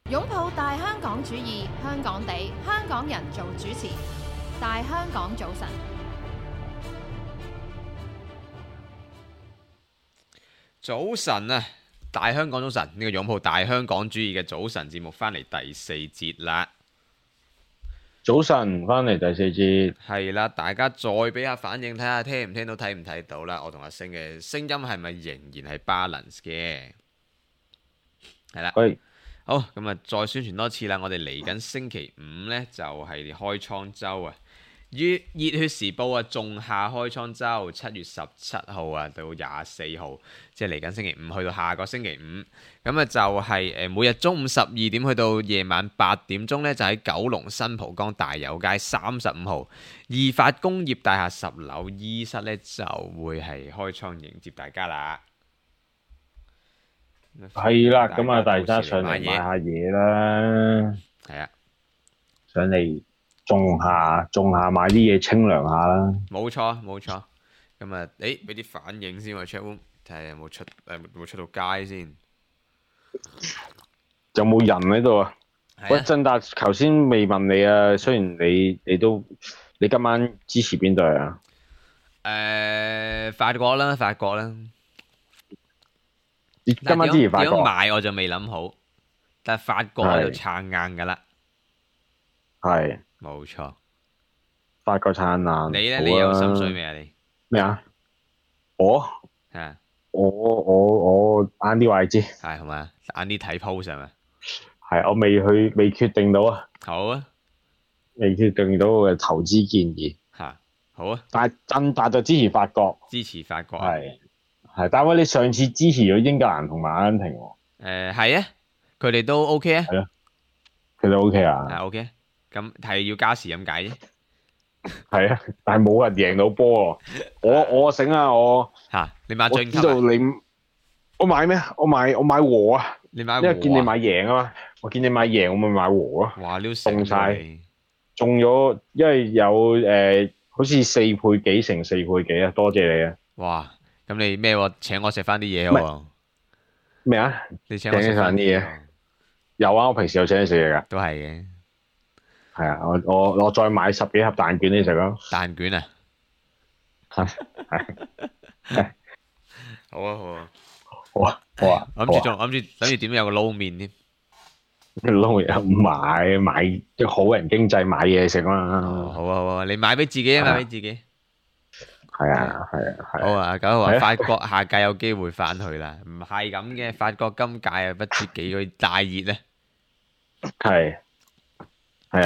擁抱大香港主義，香港地，香港人做主持。大香港早晨，早晨啊！大香港早晨，呢個擁抱大香港主義嘅早晨節目翻嚟第四節啦。早晨，翻嚟第四節，係啦，大家再俾下反應，睇下聽唔聽到，睇唔睇到啦。我同阿星嘅聲音係咪仍然係 balance 嘅？係啦。喂，好，咁啊，再宣傳多次啦。我哋嚟緊星期五呢，就係開倉周啊。熱血時報啊，仲夏開倉周，7月17號啊到24號，即係嚟緊星期五去到下個星期五。咁啊就係每日中午12點去到夜晚8點鐘呢，就喺九龍新蒲崗大有街35號義發工業大廈10樓E室呢，就會係開倉迎接大家啦。係啦，咁啊，大家上嚟買下嘢啦，係啊，上嚟種下買啲嘢清涼下啦。冇錯冇錯。咁啊，俾啲反應先喎 ，chat room 睇下有冇出到街先。有冇人喺度啊？喂，振達，頭先未問你啊，雖然你今晚支持邊隊啊？法國啦。今晚支持法國。點樣買我就未諗好，但係法國喺度撐硬㗎啦。係。冇錯。法國撐硬。你咧？你有心水未啊？你咩啊？我晏啲話你知。係嘛？晏啲睇 post 係咪？係，我未決定到啊。好啊。未決定到我嘅投資建議。嚇，好啊。但係振達就支持法國。支持法國。係，但係你上次支持咗英格蘭同埋阿根廷喎。係啊，佢哋都 OK 啊。係咯，佢哋 OK 啊。係 OK，咁係要加時咁解啫。係啊，但係冇人贏到波喎。我醒啊，你買進級啊？我知道你，我買咩？我買和啊。你買和啊？因為見你買贏啊嘛，我見你買贏，我咪買和咯。哇！你中晒，中咗，因為有好似4倍幾乘4倍幾啊！多謝你啊。哇！咁你咩喎？請我食翻啲嘢喎？咩啊？你請我食翻啲嘢？有啊，我平時有請你食嘢噶。都係嘅。係啊，我再買10幾盒蛋卷你食咯。蛋卷啊？係。好啊。諗住點有個撈麵添。撈麵買即係好人經濟買嘢食嘛。好啊，你買俾自己啊，買俾自己。係啊。好啊，九號話法國下屆有機會翻去啦，唔係咁嘅，法國今屆啊不知幾個大熱咧。係啊，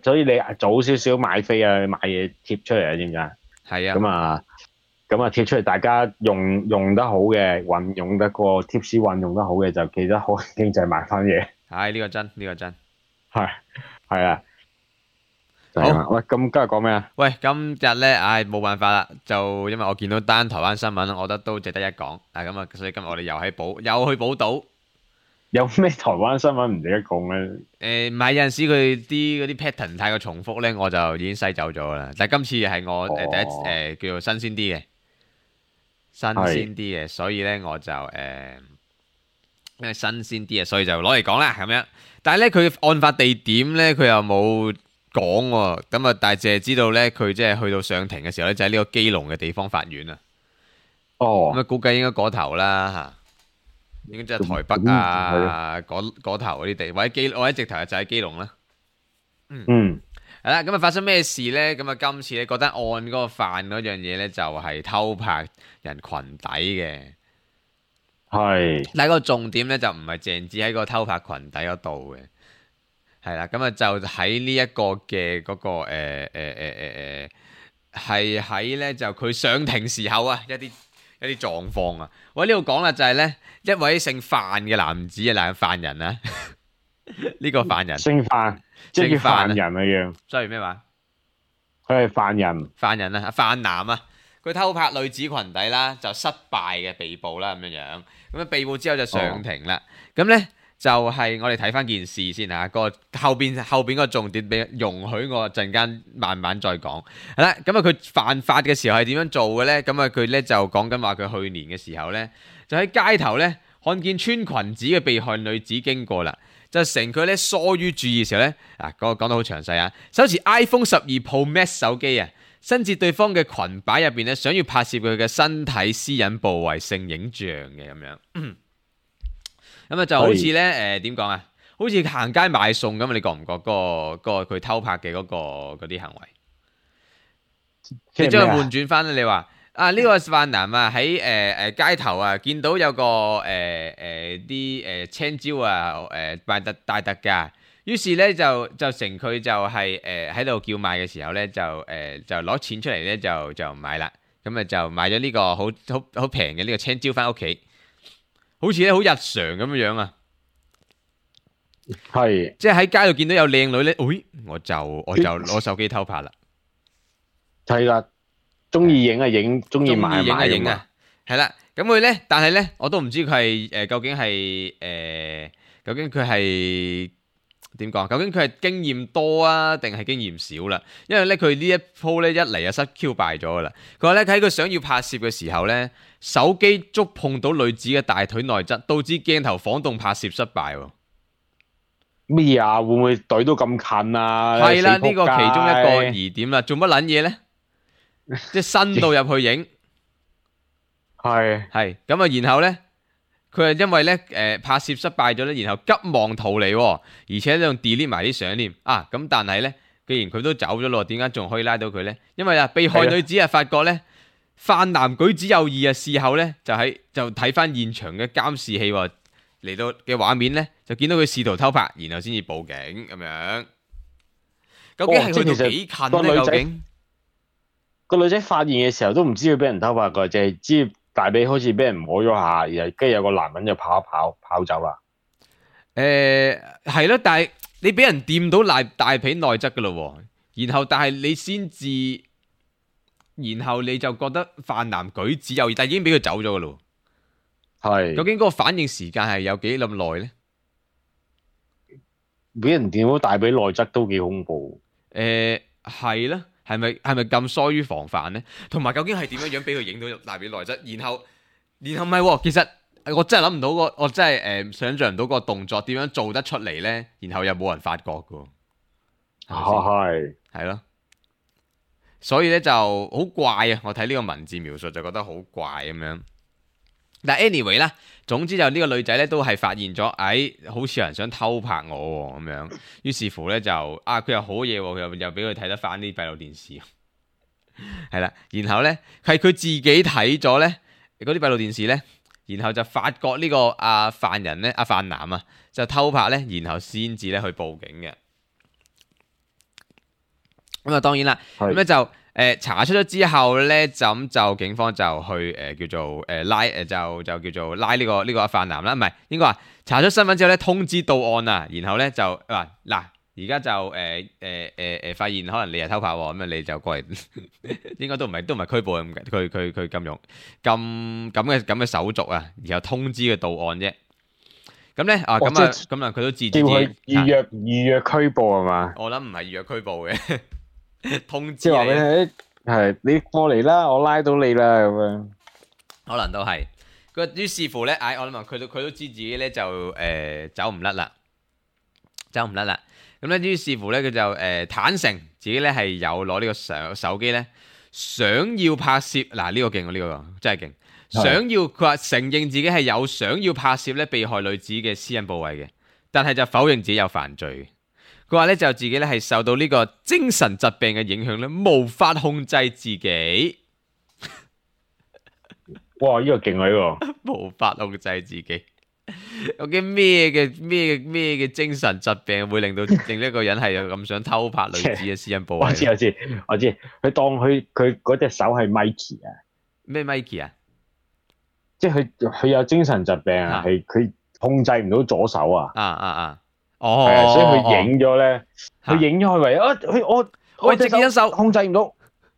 所以你早少少買飛啊，買嘢貼出嚟啊，知唔知啊？係啊。咁啊貼出嚟，大家用得好嘅，運用得個貼士運用得好嘅，就記得好經濟買翻嘢。係呢個真。係啊。好，喂，咁今日講咩啊？喂，今日咧，冇辦法啦，就因為我見到單台灣新聞，我覺得都值得一講。咁啊，所以今日我哋又去寶島。有咩台灣新聞唔值得講咧？唔係，有陣時佢嗰啲 pattern 太過重複咧，我就已經篩走咗啦。但係今次係我第一叫做新鮮啲嘅，所以咧我就因為新鮮啲嘅，所以就攞嚟講啦咁樣。但係咧佢案發地點咧，佢又冇講喎。咁啊，但係淨係知道咧，佢即係去到上庭嘅時候咧，就喺呢個基隆嘅地方法院啊。咁啊，估計應該嗰頭啦嚇。應該即係台北啊，嗰頭嗰啲地，或者直頭就喺基隆啦。係啦，咁啊發生咩事呢？咁啊今次咧覺得案嗰個犯嗰樣嘢呢，就係偷拍人裙底嘅。係。但係個重點呢，就唔係淨止喺個偷拍裙底嗰度嘅。係啦，咁啊就喺呢一個嘅嗰個係喺呢就佢上庭時候啊一啲狀況啊，我喺呢度講啦，就係呢一位姓范嘅男子啊，犯人啊，呢個犯人姓范，即係叫犯人啊樣。sorry咩話？佢係犯人啊，犯男啊，佢偷拍女子裙底啦，就失敗嘅被捕啦，咁樣。咁啊被捕之後就上庭啦，咁呢。就係我哋睇翻件事先嚇，個後邊個重點俾容許我陣間慢慢再講。係啦，咁啊佢犯法嘅時候係點樣做嘅呢？咁啊佢呢就講緊話佢去年嘅時候呢，就喺街頭呢看見穿裙子嘅被害女子經過啦，就乘佢咧疏於注意嘅時候咧，講得好詳細啊！手持 iPhone 12 Pro Max 手機啊，伸至對方嘅裙擺入邊咧，想要拍攝佢嘅身體私隱部位性影像嘅咁樣。咁啊就好似咧點講啊？好似行街買餸咁啊！你覺唔覺嗰個佢偷拍嘅嗰啲行為？你將佢換轉翻咧，你話呢個犯男啊喺街頭啊見到有個啲青椒啊大特價，於是咧就乘佢就係喺度叫賣嘅時候咧就攞錢出嚟咧就買啦，咁啊就買咗呢個好平嘅呢個青椒翻屋企，好似咧好日常咁樣啊！係，即係喺街度見到有靚女咧，我就攞手機偷拍啦。係啦，中意影啊影，中意買影啊影啊，啊，係啦。咁佢咧，但係咧，我都唔知佢係究竟係究竟佢係點講？究竟佢係經驗多啊，定係經驗少啦？因為咧，佢呢一鋪咧一嚟就失 Q 敗咗噶啦。佢話咧喺佢想要拍攝嘅時候咧，手機觸碰到女子嘅大腿內側，導致鏡頭晃動拍攝失敗。咩啊？會唔會懟到咁近啊？係啦，呢個其中一個疑點啦。做乜撚嘢咧？即係伸到入去影，係咁啊！然後咧，佢係因為咧拍攝失敗咗咧，然後急忙逃離，而且仲 delete 埋啲相添啊！咁但係咧，既然佢都走咗咯，點解仲可以拉到佢咧？因為被害女子發覺咧犯男舉止有異啊，事後咧就睇翻現場嘅監視器嚟到嘅畫面咧，就見到佢試圖偷拍，然後先至報警咁樣。究竟係去到幾近咧？究竟？個女仔發現嘅時候都唔知佢俾人偷拍過，淨係知大髀好似俾人摸咗下，然後跟住有個男人就跑走啦。係咯，但係你俾人掂到大髀內側噶咯，然後但係你先至，然後你就覺得犯男舉止有異，但係已經俾佢走咗噶咯。係，究竟嗰個反應時間係有幾咁耐咧？俾人掂到大髀內側都幾恐怖。係啦。係咪咁疏於防範呢？同埋究竟係點樣俾佢影到大髀內側？然後唔係，其實我真係諗唔到我真係想象唔到個動作點樣做得出嚟呢？然後又冇人發覺㗎。係咯，所以咧就好怪啊！我睇呢個文字描述就覺得好怪咁樣。但 anyway 啦，總之就呢個女仔咧都係發現咗，好似有人想偷拍我咁樣，於是乎咧就佢又好嘢，佢又俾佢睇得翻啲閉路電視，係啦，然後咧係佢自己睇咗咧嗰啲閉路電視咧，然後就發覺呢個犯人咧犯男啊就偷拍咧，然後先至咧去報警嘅。咁啊當然啦，咁咧就。查出咗之後咧，就警方就去叫做拉就叫做拉呢個犯男啦，唔係應該話查出身份之後咧，通知到案啊，然後咧就話嗱，而家就發現可能你係偷拍喎，咁啊你就過嚟，應該都唔係拘捕佢咁用咁嘅手續啊，然後通知佢到案啫。咁咧咁啊佢都自己預約拘捕係嘛？我諗唔係預約拘捕嘅。通知即係話你係你過嚟啦，我拉到你啦咁樣，可能都係。於是乎咧，我諗佢都知自己咧就走唔甩啦。咁咧於是乎咧，佢就坦誠自己咧係有攞呢個手機咧，想要拍攝嗱呢個勁喎，呢個真係勁。佢話承認自己係有想要拍攝咧被害女子嘅私隱部位嘅，但係就否認自己有犯罪。佢話咧就自己咧係受到呢個精神疾病嘅影響咧，無法控制自己。哇！呢個勁啊，呢個無法控制自己。究竟咩嘅精神疾病會令一個人係咁想偷拍女子嘅私隱部位？我知。佢當佢嗰隻手係 Mikey 啊？咩 Mikey 啊？即係佢有精神疾病啊？係佢控制唔到左手啊？係啊，所以佢影咗咧，佢影咗佢為我隻手控制唔到，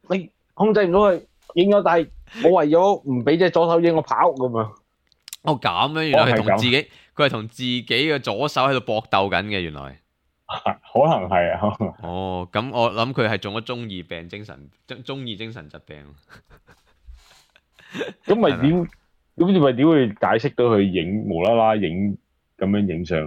你控制唔到佢影咗，但係我為咗唔俾隻左手影，我跑咁樣。咁樣，原來佢係同自己嘅左手喺度搏鬥緊嘅，原來。可能係啊。咁我諗佢係中咗中二精神疾病。咁咪點？咁你咪點會解釋到佢無啦啦影咁樣影相？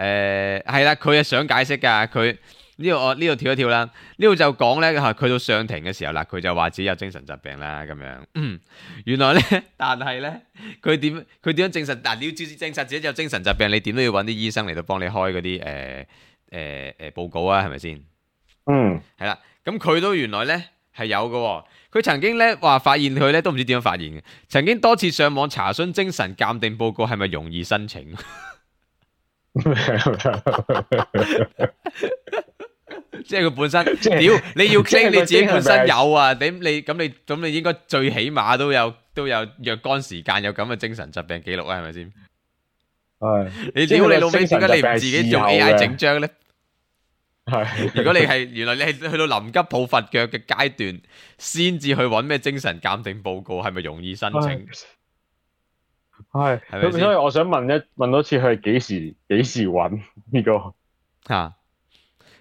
係啦，佢係想解釋㗎，佢呢度跳一跳啦，呢度就講咧佢到上庭嘅時候啦，佢就話自己有精神疾病啦咁樣。原來咧，但係咧，佢點樣證實？嗱，你要證實自己有精神疾病，你點都要揾啲醫生嚟到幫你開嗰啲報告啊，係咪先？係啦，咁佢都原來咧係有嘅。佢曾經咧話發現佢咧都唔知點樣發現嘅，曾經多次上網查詢精神鑑定報告係咪容易申請。即係佢本身，屌你要 claim 你自己本身有啊？咁你應該最起碼都有若干時間有咁嘅精神疾病記錄啊？係咪先？係你屌你老味，點解你唔自己用 AI 整張咧？係，如果你係原來你係去到臨急抱佛腳嘅階段，先至去揾咩精神鑑定報告，係咪容易申請？係，咁所以我想問多次，佢係幾時揾呢個？吓，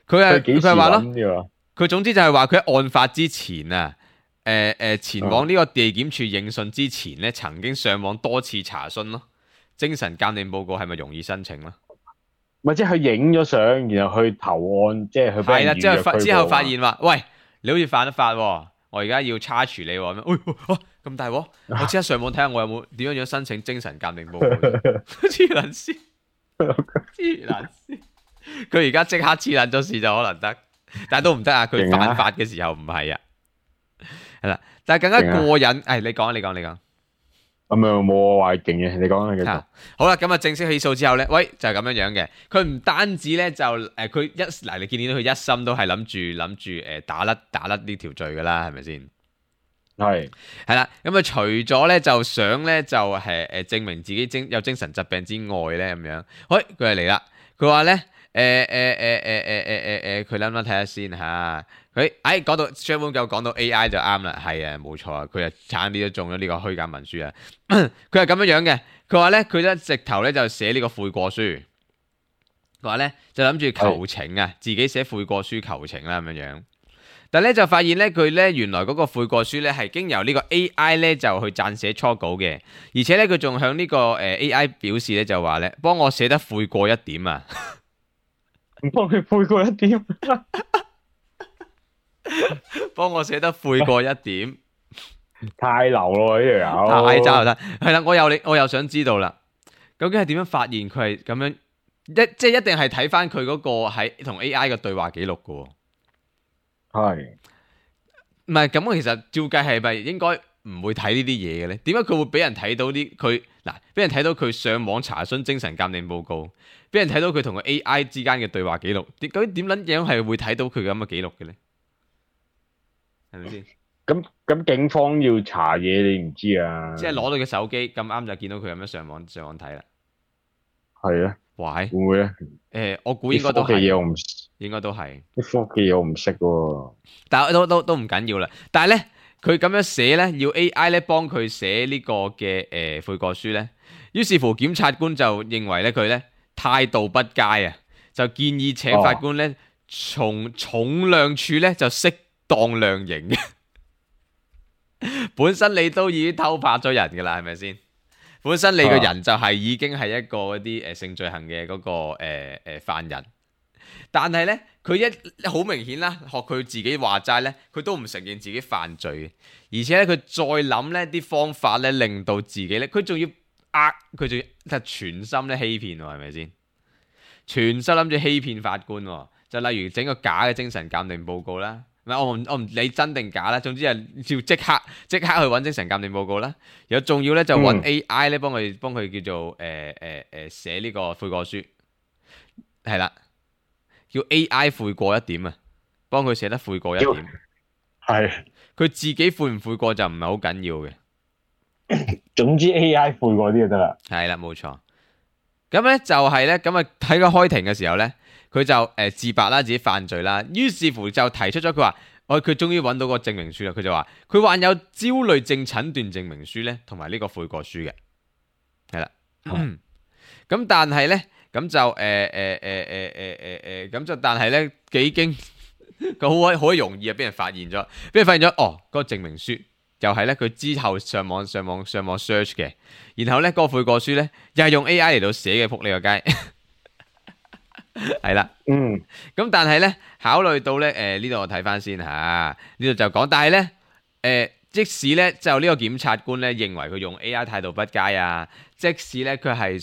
佢係話咯，佢總之就係話佢喺案發之前啊，前往呢個地檢署應訊之前咧，曾經上網多次查詢咯，精神鑑定報告係咪容易申請咯？咪即係佢影咗相，然後去投案，即係佢俾人預約拘捕。之後發現話，喂，你好似犯咗法喎，我而家要查處你喎，咁大鑊，我即刻上網睇下我有冇點樣申請精神鑑定報告。黐撚線，黐撚線，佢而家即刻黐撚咗事就可能得，但係都唔得啊！佢犯法嘅時候唔係啊，係啦，但係更加過癮。你講。咁又冇話勁嘅，你講繼續。好啦，咁啊正式起訴之後咧，喂就係咁樣嘅。佢唔單止咧就佢你見到佢一心都係諗住打甩呢條罪噶啦，係咪先？係啦，咁啊除咗咧就想咧就係證明自己有精神疾病之外咧咁樣，喂佢就嚟啦，佢話咧佢諗睇下先吓。佢講到 Sherman 夠講到 AI 就啱啦，係啊冇錯啊，佢啊差啲都中咗呢個虛假文書啊。佢係咁樣嘅，佢話咧佢咧直頭咧就寫呢個悔過書，佢話咧就諗住求情啊，自己寫悔過書求情啦咁樣。但係咧就發現咧佢咧原來嗰個悔過書咧係經由呢個 AI 咧就去撰寫初稿嘅，而且咧佢仲向呢個AI 表示咧就話咧幫我寫得悔過一點啊，唔幫佢悔過一點。幫我寫得悔過一點，太流咯呢條友，太渣啦！係啦，我又想知道啦，究竟係點樣發現佢係咁樣？即係一定係睇翻佢嗰個喺同 AI 嘅對話記錄噶。係，唔係咁？其實照計係咪應該唔會睇呢啲嘢嘅咧？點解佢會俾人睇到啲佢嗱？俾人睇到佢上網查詢精神鑑定報告，俾人睇到佢同個 AI 之間嘅對話記錄，究竟點撚樣係會睇到佢咁嘅記錄嘅咧？係咪先？咁警方要查嘢，你唔知啊？即係攞到佢手機咁啱就見到佢咁樣上網睇啦。係啊，喂，會唔會咧？我估應該都係。應該都係。啲科技嘢我唔識喎。但係都唔緊要啦。但係咧，佢咁樣寫咧，要 AI 咧幫佢寫呢個嘅悔過書咧。於是乎，檢察官就認為咧佢咧態度不佳啊，就建議請法官咧從重量處咧就釋當量刑。本身你都已經偷拍咗人噶啦，係咪先？本身你個人就係已經係一個嗰啲性罪行嘅嗰個犯人，但係咧佢一好明顯啦，學佢自己話齋咧，佢都唔承認自己犯罪，而且咧佢再諗咧啲方法咧，令到自己咧，佢仲要佢仲要全心咧欺騙，係咪先？全心諗住欺騙法官，就例如整個假嘅精神鑑定報告啦。我唔理真定假啦，總之係要即刻去揾精神鑑定報告啦。有仲要咧就揾 AI 咧幫佢叫做寫呢個悔過書，係啦，叫 AI 悔過一點啊，幫佢寫得悔過一點。係佢自己悔唔悔過就唔係好緊要嘅。總之 AI 悔過啲就得啦。係啦，冇錯。咁咧就係咧，咁啊喺個開庭嘅時候咧。佢就自白啦，自己犯罪啦，於是乎就提出咗佢話，佢終於揾到個證明書啦。佢就話佢患有焦慮症診斷證明書咧，同埋呢個悔過書嘅，係啦。咁但係咧，咁就咁就但係咧幾經佢好容易啊，俾人發現咗，嗰個證明書又係咧佢之後上網 search 嘅，然後咧嗰個悔過書咧又係用 AI 嚟到寫嘅，仆你個街。係啦，咁但係咧，考慮到咧，呢度我睇翻先嚇，呢度就講，但係咧，即使咧就呢個檢察官咧認為佢用 AI 態度不佳啊，即使咧佢係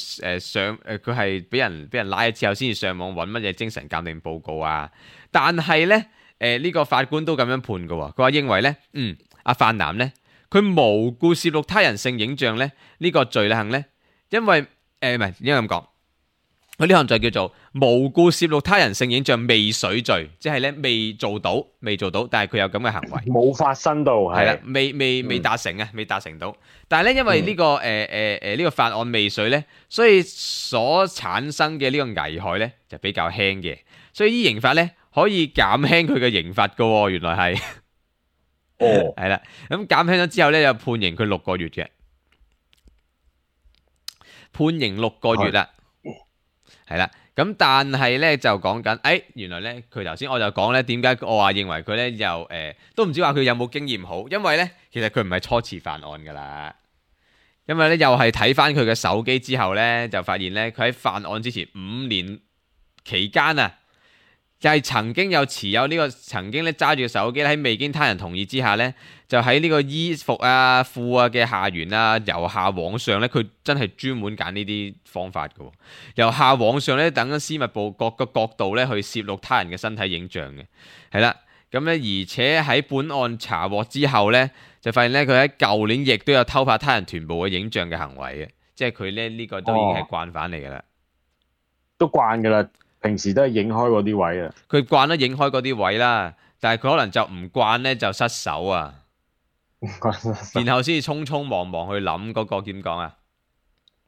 佢係俾人拉咗之後先至上網揾乜嘢精神鑑定報告啊，但係咧，呢個法官都咁樣判嘅喎，佢話認為咧，阿范南咧，佢無故攝錄他人性影像咧，呢個罪行咧，因為唔係應該咁講。佢呢項罪叫做無故攝錄他人性影像未遂罪，即係咧未做到，但係佢有咁嘅行為，冇發生到係啦，未達成啊，未達成到。但係咧，因為呢個呢個法案未遂咧，所以所產生嘅呢個危害咧就比較輕嘅，所以依刑法咧可以減輕佢嘅刑罰噶喎，原來係係啦，咁減輕咗之後咧，就判刑佢6個月嘅，判刑6個月啦。係啦，咁但係咧就講緊，原來咧佢頭先我就講咧，點解我話認為佢咧又都唔知話佢有冇經驗好，因為咧其實佢唔係初次犯案噶啦，因為咧又係睇翻佢嘅手機之後咧，就發現咧佢喺犯案之前5年期間啊，就係曾經有持有呢個曾經咧揸住個手機喺未經他人同意之下咧，就喺呢個衣服啊褲啊嘅下緣啊由下往上咧，佢真係專門揀呢啲方法嘅，由下往上咧等私密部各個角度咧去攝錄他人嘅身體影像嘅，係啦，咁咧而且喺本案查獲之後咧，就發現咧佢喺舊年亦都有偷拍他人臀部嘅影像嘅行為嘅，即係佢咧呢個都已經係慣犯嚟噶啦，都慣噶啦。平時都係影開嗰啲位啊，佢慣得影開嗰啲位啦，但係佢可能就唔慣咧就失手啊，然後先至匆匆忙忙去諗嗰個點講啊，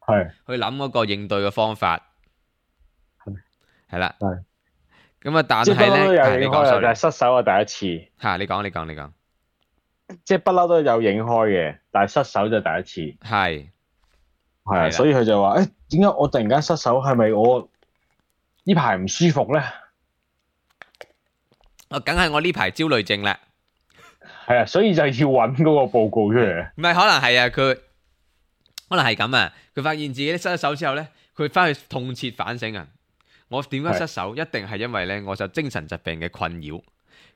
係去諗嗰個應對嘅方法，係啦，咁啊，但係咧，你講但係失手係第一次嚇，你講，即係不嬲都有影開嘅，但係失手就第一次，係啊，所以佢就話：點解我突然間失手？係咪我呢排唔舒服咧？梗係我呢排焦慮症啦。係啊，所以就要揾嗰個報告出嚟。唔係，可能係啊，佢可能係咁啊。佢發現自己失咗手之後咧，佢翻去痛徹反省啊。我點解失手？一定係因為咧，我受精神疾病嘅困擾。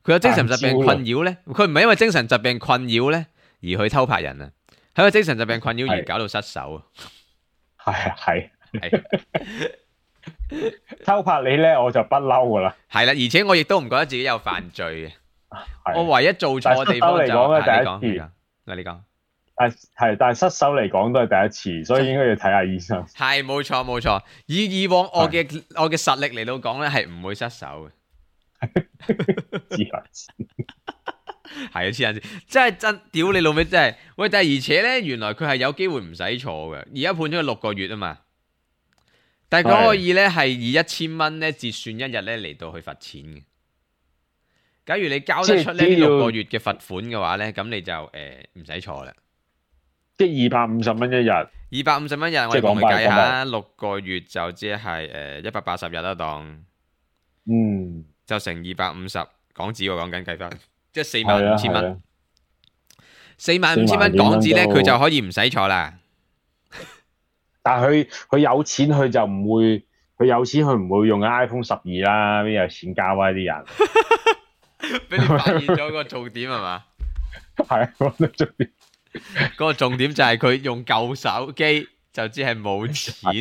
佢有精神疾病困擾咧，佢唔係因為精神疾病困擾咧而去偷拍人啊，係因為精神疾病困擾而搞到失手啊。係。偷拍你咧，我就不嬲噶啦。係啦，而且我亦都唔覺得自己有犯罪嘅。我唯一做錯嘅地方就係你講。但係失手嚟講都係第一次，所以應該要睇下醫生。係冇錯，以往我嘅實力嚟到講咧，係唔會失手嘅。黐線，係啊，黐線，真係真屌你老味，真係喂！但係而且咧，原來佢係有機會唔使坐嘅，而家判咗佢6個月啊嘛。但係佢可以咧係以1000蚊咧折算1日咧嚟到去罰錢嘅。假如你交得出呢6個月嘅罰款嘅話咧，咁你就唔使坐啦。即係250蚊一日。250蚊一日，我哋同佢計下，6個月就即係180日啦，當就乘250港紙喎，講緊計翻，即係45000蚊。45000蚊港紙咧，佢就可以唔使坐啦。但係佢有錢，佢就唔會，佢有錢佢唔會用 iPhone 12啦，邊有錢交啊啲人？俾你發現咗個重點係嘛？係啊，嗰個重點。嗰個重點就係佢用舊手機，就只係冇錢。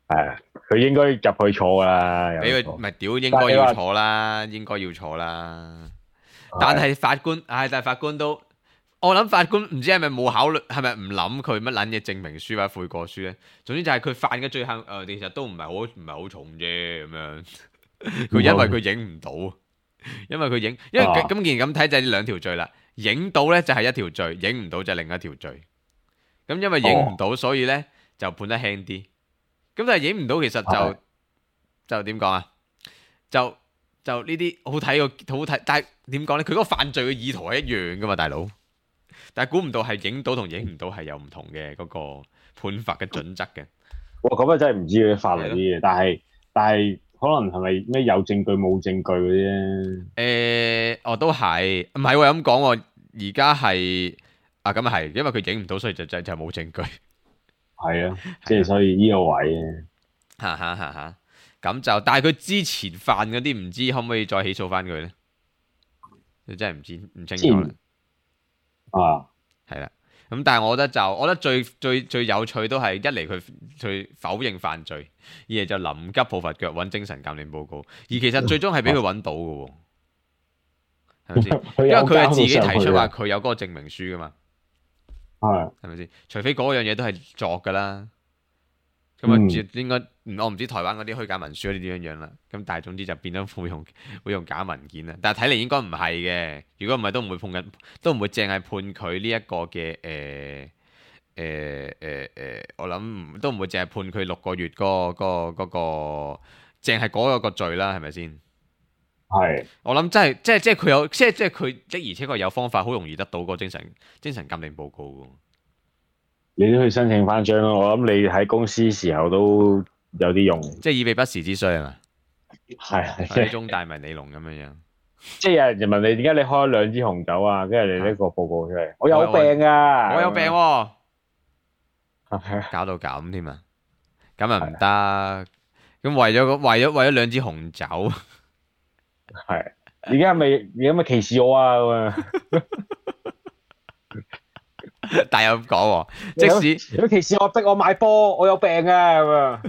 係啊，佢應該入去坐噶啦。俾佢咪屌，應該要坐啦，應該要坐啦。但係法官，但係法官都。我諗法官唔知係咪冇考慮，係咪唔諗佢乜撚嘢證明書或者悔過書咧？總之就係佢犯嘅罪行，其實都唔係好重啫咁樣。佢因為佢影唔到，因為咁既然咁睇就係呢2條罪啦。影到咧就係1條罪，影唔到就係另一條罪。咁因為影唔到，所以咧就判得輕啲。咁但係影唔到，其實就點講啊？就呢啲好睇，但係點講咧？佢嗰個犯罪嘅意圖係一樣噶嘛，大佬。但係估唔到係影到同影唔到係有唔同嘅嗰個判罰嘅準則嘅。哇，咁啊真係唔知佢法例啲嘢，但係可能係咪咩有證據冇證據嗰啲咧？都係，唔係喎咁講喎。而家係咁啊係，因為佢影唔到，所以就冇證據。係啊，即係所以呢個位哈。咁就但係佢之前犯嗰啲唔知可唔可以再起訴翻佢咧？你真係唔清楚啦。係啦。咁但係我覺得最有趣都係一嚟佢否認犯罪，二嚟就臨急抱佛腳揾精神鑑定報告，而其實最終係俾佢揾到嘅喎，係咪先？因為佢係自己提出話佢有嗰個證明書噶嘛，係咪先？除非嗰樣嘢都係作噶啦，咁啊應該我唔知台灣嗰啲虛假文書嗰啲點樣啦，咁但係總之就變咗會用假文件啦。但係睇嚟應該唔係嘅，如果唔係都唔會淨係判佢呢一個嘅我諗都唔會淨係判佢6個月嗰個淨係嗰個罪啦，係咪先？係。我諗真係即係佢有即係佢的而且確有方法好容易得到個精神鑑定報告嘅。你都去申請翻張咯，我諗你喺公司時候都有啲用，即係以備不時之需係嘛？係中大迷你龍咁樣。即係有人問你點解你開咗2支紅酒啊？跟住你呢個報告出嚟，我有病啊！我有病喎，搞到咁添啊！咁啊唔得，咁為咗2支紅酒，係而家咪歧視我啊！但係又咁講喎，即使如果歧視我逼我買波，我有病啊！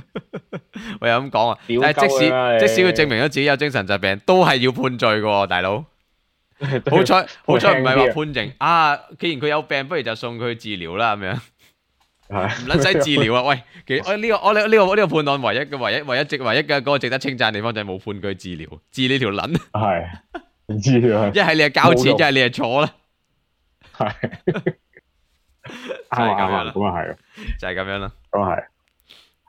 我又咁講啊，但係即使佢證明咗自己有精神疾病，都係要判罪嘅，大佬。好彩唔係話判刑啊！既然佢有病，不如就送佢去治療啦，咁樣唔撚使治療啊！喂，呢個判案唯一嘅嗰個值得稱讚嘅地方就係冇判佢治療，治呢條撚係唔知啊！一係你係交錢，一係你係坐啦，係。咁啊係，就係咁樣啦。咁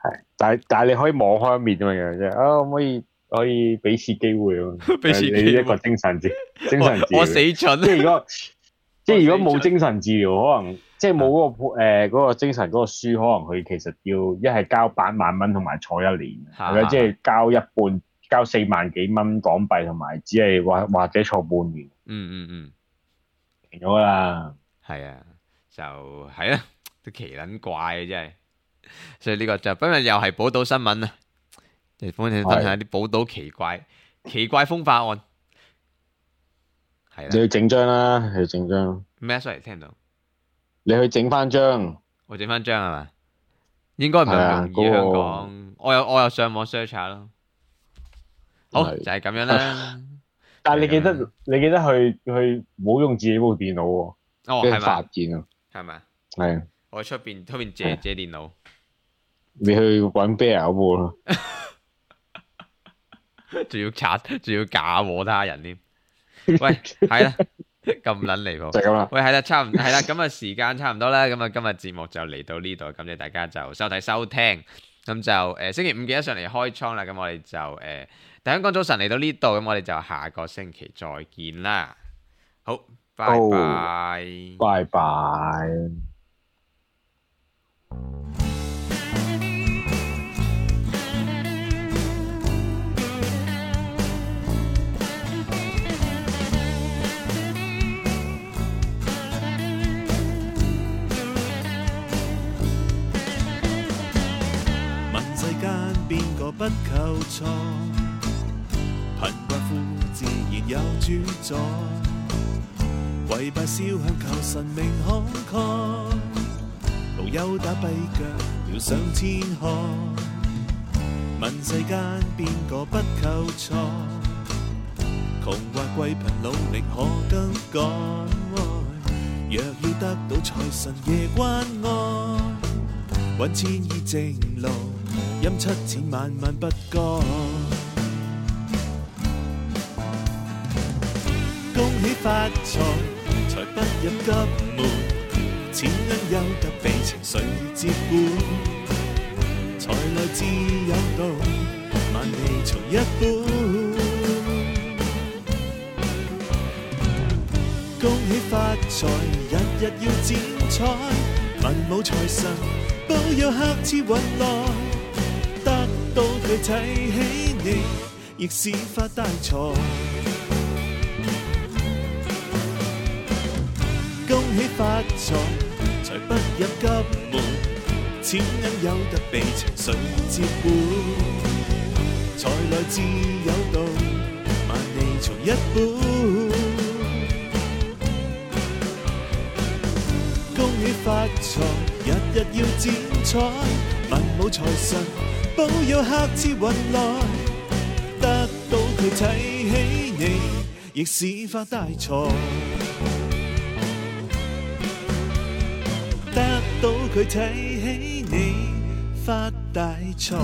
係，但係你可以網開一面咁樣啫。可以俾次機會啊！俾次機會，你一個精神治療，我死蠢。即係如果冇精神治療，可能即係冇嗰個精神嗰個書，可能佢其實要一係交8萬蚊同埋坐1年，係咪？即係交一半，交4萬幾蚊港幣，同埋只係或者坐半年。停咗啦。係啊。就係啦，都奇撚怪嘅真係，所以呢個就今日又係寶島新聞啊！嚟幫你分享一啲寶島奇怪風化案，係啦。你去整張啦，你去整張。咩？sorry，聽到。你去整翻張。我整翻張係嘛？應該唔係咁容易香港。我有上網 search 下咯。好，就係咁樣啦。但係你記得去唔好用自己部電腦喎。係咪？發現啊！係咪？係。我喺出邊借電腦。你去搵 bear 嗰部咯。仲要假和他人添。喂，係啦，咁撚離譜。就咁啦。喂，係啦，係啦，咁啊時間差唔多啦，咁啊今日節目就嚟到呢度，感謝大家就收睇收聽。咁就星期5記得上嚟開倉啦，咁我哋就大香港早晨嚟到呢度，咁我哋就下個星期再見啦。好。拜拜，拜拜。問世間邊個不求錯，貧困富自然有主宰。跪拜燒香求神明慷慨，無憂打跛腳要上天海。問世間邊個不求財，窮或貴貧努力可更改。若要得到財神爺關愛，揾錢依正路，陰7000萬萬不該。恭喜發財，財不入急門，錢銀有得被情緒接管。財來自有道，萬里從一本。恭喜發財，日日要剪彩，文武財神保佑客似雲來，得到佢睇起你，亦是發大財。恭喜發財，財不入急門，錢銀有得被情緒接管。才來自有道，萬里從一本。恭喜發財，日日要剪彩，文武財神保佑客似雲來，得到佢睇起你，亦是發大財。得到佢睇起你，發大財。